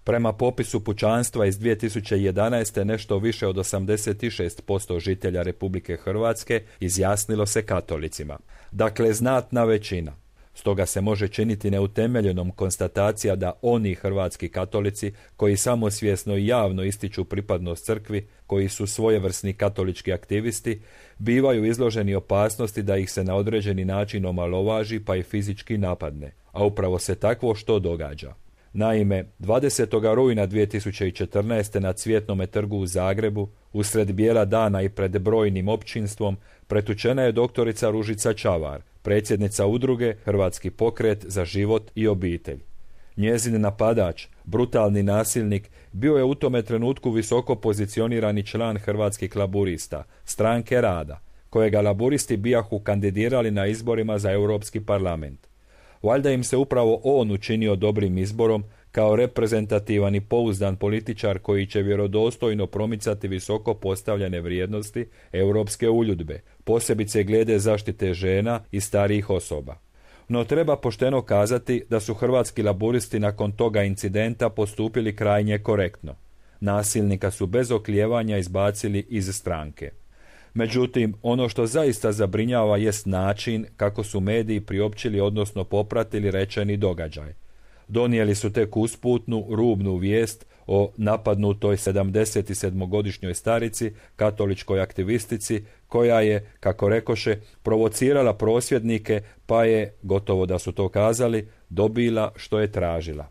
Prema popisu pučanstva iz 2011. nešto više od 86% žitelja Republike Hrvatske izjasnilo se katolicima. Dakle, znatna većina. Stoga se može činiti neutemeljenom konstatacija da oni hrvatski katolici koji samosvjesno i javno ističu pripadnost crkvi, koji su svojevrsni katolički aktivisti, bivaju izloženi opasnosti da ih se na određeni način omalovaži pa i fizički napadne. A upravo se takvo što događa. Naime, 20. rujna 2014. na Cvjetnome trgu u Zagrebu, usred bijela dana i pred brojnim općinstvom, pretučena je doktorica Ružica Čavar, predsjednica udruge Hrvatski pokret za život i obitelj. Njezin napadač, brutalni nasilnik, bio je u tome trenutku visoko pozicionirani član Hrvatskih laburista, stranke rada, kojega laburisti bijahu kandidirali na izborima za Europski parlament. Valjda im se upravo on učinio dobrim izborom kao reprezentativan i pouzdan političar koji će vjerodostojno promicati visoko postavljene vrijednosti europske uljudbe, posebice glede zaštite žena i starijih osoba. No treba pošteno kazati da su hrvatski laburisti nakon toga incidenta postupili krajnje korektno. Nasilnika su bez oklijevanja izbacili iz stranke. Međutim, ono što zaista zabrinjava jest način kako su mediji priopćili odnosno popratili rečeni događaj. Donijeli su tek usputnu, rubnu vijest o napadnutoj 77-godišnjoj starici, katoličkoj aktivistici, koja je, kako rekoše, provocirala prosvjednike, pa je, gotovo da su to kazali, dobila što je tražila.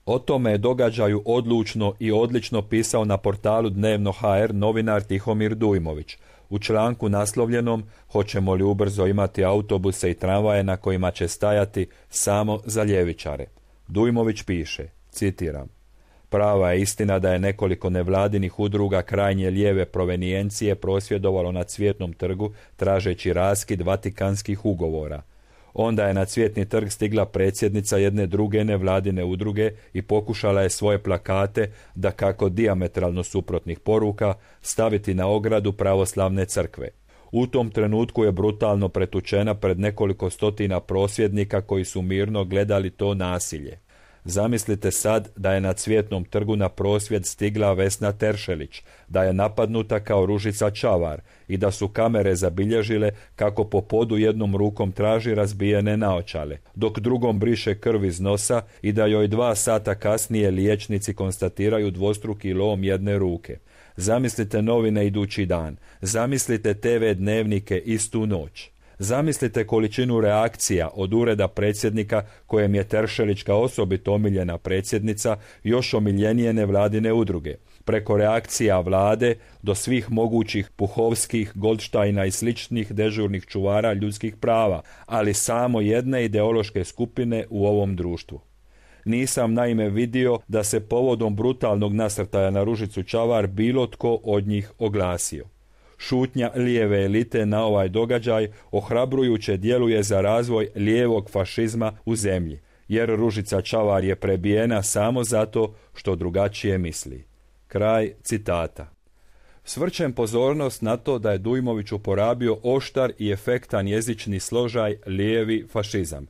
O tome događaju odlučno i odlično pisao na portalu Dnevno.hr novinar Tihomir Dujmović, u članku naslovljenom "Hoćemo li ubrzo imati autobuse i tramvaje na kojima će stajati samo za ljevičare?" Dujmović piše, citiram: "Prava je istina da je nekoliko nevladinih udruga krajnje lijeve provenijencije prosvjedovalo na Cvjetnom trgu tražeći raskid Vatikanskih ugovora. Onda je na Cvjetni trg stigla predsjednica jedne druge nevladine udruge i pokušala je svoje plakate, dakako dijametralno suprotnih poruka, staviti na ogradu pravoslavne crkve. U tom trenutku je brutalno pretučena pred nekoliko stotina prosvjednika koji su mirno gledali to nasilje. Zamislite sad da je na Cvjetnom trgu na prosvjed stigla Vesna Teršelić, da je napadnuta kao Ružica Čavar i da su kamere zabilježile kako po podu jednom rukom traži razbijene naočale, dok drugom briše krv iz nosa i da joj 2 sata kasnije liječnici konstatiraju dvostruki lom jedne ruke. Zamislite novine idući dan, zamislite TV dnevnike istu noć. Zamislite količinu reakcija od ureda predsjednika kojem je Teršelić kao osobito omiljena predsjednica još omiljenije nevladine udruge, preko reakcija vlade do svih mogućih Puhovskih, Goldštajna i sličnih dežurnih čuvara ljudskih prava, ali samo jedne ideološke skupine u ovom društvu. Nisam naime vidio da se povodom brutalnog nasrtaja na Ružicu Čavar bilo tko od njih oglasio. Šutnja lijeve elite na ovaj događaj ohrabrujuće djeluje za razvoj lijevog fašizma u zemlji, jer Ružica Čavar je prebijena samo zato što drugačije misli. Kraj citata. Svrćem pozornost na to da je Dujmović uporabio oštar i efektan jezični složaj lijevi fašizam.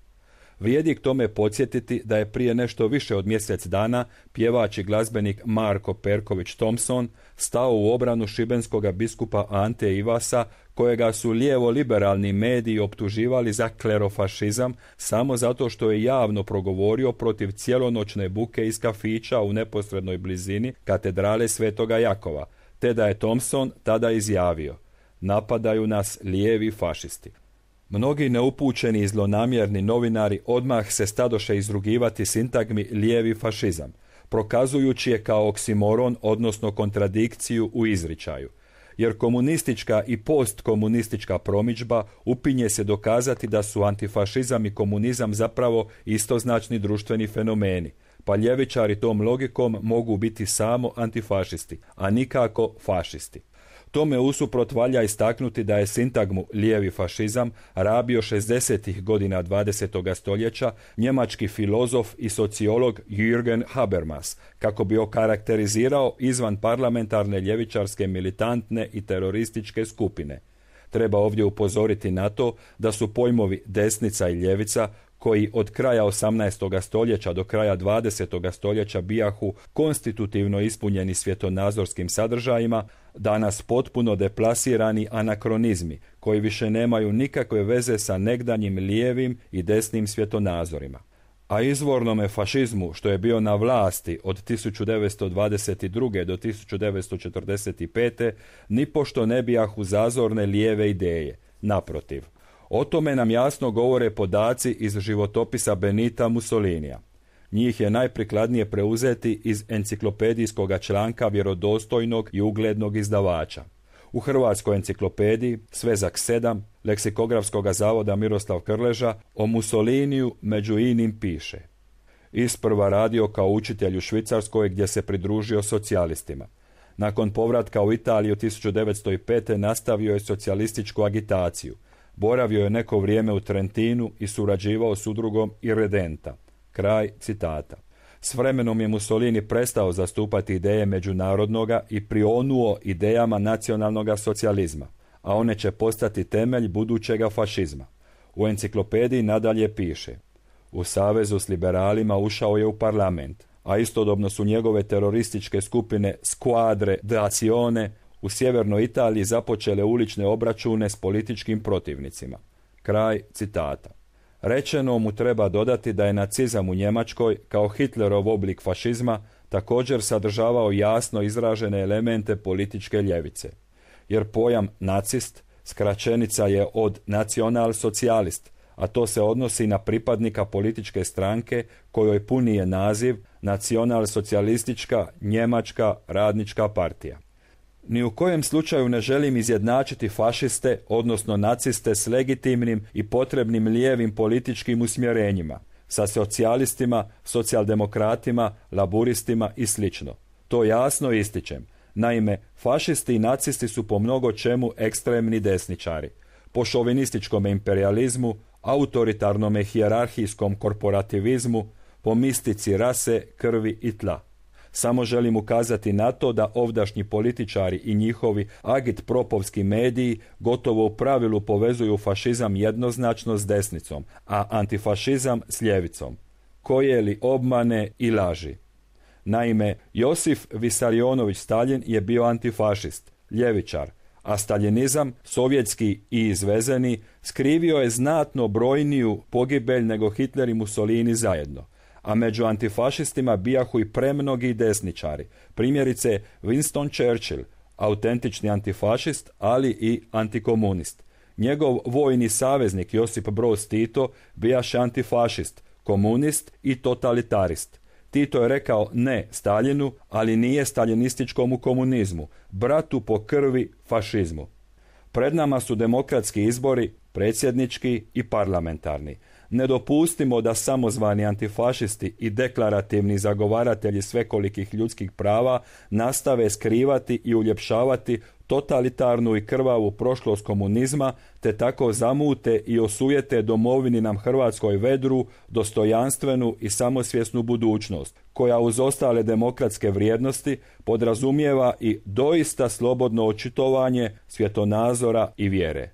Vrijedi k tome podsjetiti da je prije nešto više od mjesec dana pjevač i glazbenik Marko Perković Thompson stao u obranu šibenskoga biskupa Ante Ivasa, kojega su lijevo-liberalni mediji optuživali za klerofašizam samo zato što je javno progovorio protiv cijelonoćne buke iz kafića u neposrednoj blizini katedrale Svetoga Jakova, te da je Thompson tada izjavio: "Napadaju nas lijevi fašisti." Mnogi neupućeni i zlonamjerni novinari odmah se stadoše izrugivati sintagmi lijevi fašizam, prokazujući je kao oksimoron, odnosno kontradikciju u izričaju. Jer komunistička i postkomunistička promidžba upinje se dokazati da su antifašizam i komunizam zapravo istoznačni društveni fenomeni, pa ljevičari tom logikom mogu biti samo antifašisti, a nikako fašisti. Tome usuprot valja istaknuti da je sintagmu lijevi fašizam rabio 60. godina 20. stoljeća njemački filozof i sociolog Jürgen Habermas, kako bi okarakterizirao izvan parlamentarne ljevičarske militantne i terorističke skupine. Treba ovdje upozoriti na to da su pojmovi desnica i ljevica koji od kraja 18. stoljeća do kraja 20. stoljeća bijahu konstitutivno ispunjeni svjetonazorskim sadržajima, danas potpuno deplasirani anakronizmi koji više nemaju nikakve veze sa negdanjim lijevim i desnim svjetonazorima. A izvornome fašizmu, što je bio na vlasti od 1922. do 1945. nipošto ne bijahu zazorne lijeve ideje. Naprotiv, o tome nam jasno govore podaci iz životopisa Benita Mussolinija. Njih je najprikladnije preuzeti iz enciklopedijskog članka vjerodostojnog i uglednog izdavača. U Hrvatskoj enciklopediji, svezak 7, Leksikografskog zavoda Miroslav Krleža, o Mussoliniju među inim piše: isprva radio kao učitelj u Švicarskoj gdje se pridružio socijalistima. Nakon povratka u Italiju 1905. nastavio je socijalističku agitaciju. Boravio je neko vrijeme u Trentinu i surađivao s udrugom Irredenta. Kraj citata. S vremenom je Mussolini prestao zastupati ideje međunarodnoga i prionuo idejama nacionalnoga socijalizma, a one će postati temelj budućega fašizma. U enciklopediji nadalje piše: u savezu s liberalima ušao je u parlament, a istodobno su njegove terorističke skupine Squadre d'Azione u sjevernoj Italiji započele ulične obračune s političkim protivnicima. Kraj citata. Rečeno mu treba dodati da je nacizam u Njemačkoj, kao Hitlerov oblik fašizma, također sadržavao jasno izražene elemente političke ljevice. Jer pojam nacist skraćenica je od nacionalsocijalist, a to se odnosi na pripadnika političke stranke kojoj puni je naziv Nacionalsocijalistička njemačka radnička partija. Ni u kojem slučaju ne želim izjednačiti fašiste, odnosno naciste s legitimnim i potrebnim lijevim političkim usmjerenjima, sa socijalistima, socijaldemokratima, laburistima i sl. To jasno ističem. Naime, fašisti i nacisti su po mnogo čemu ekstremni desničari. Po šovinističkom imperializmu, autoritarnome hijerarhijskom korporativizmu, po mistici rase, krvi i tla. Samo želim ukazati na to da ovdašnji političari i njihovi agitpropovski mediji gotovo u pravilu povezuju fašizam jednoznačno s desnicom, a antifašizam s ljevicom. Koje li obmane i laži. Naime, Josif Visarionović Staljin je bio antifašist, ljevičar, a staljinizam, sovjetski i izvezeni, skrivio je znatno brojniju pogibelj nego Hitler i Mussolini zajedno. A među antifašistima bijahu i premnogi desničari. Primjerice Winston Churchill, autentični antifašist, ali i antikomunist. Njegov vojni saveznik Josip Broz Tito bijaše antifašist, komunist i totalitarist. Tito je rekao ne Staljinu, ali nije staljinističkomu komunizmu, bratu po krvi fašizmu. Pred nama su demokratski izbori, predsjednički i parlamentarni. Ne dopustimo da samozvani antifašisti i deklarativni zagovaratelji svekolikih ljudskih prava nastave skrivati i uljepšavati totalitarnu i krvavu prošlost komunizma, te tako zamute i osujete domovini nam Hrvatskoj vedru, dostojanstvenu i samosvjesnu budućnost, koja uz ostale demokratske vrijednosti podrazumijeva i doista slobodno očitovanje svjetonazora i vjere.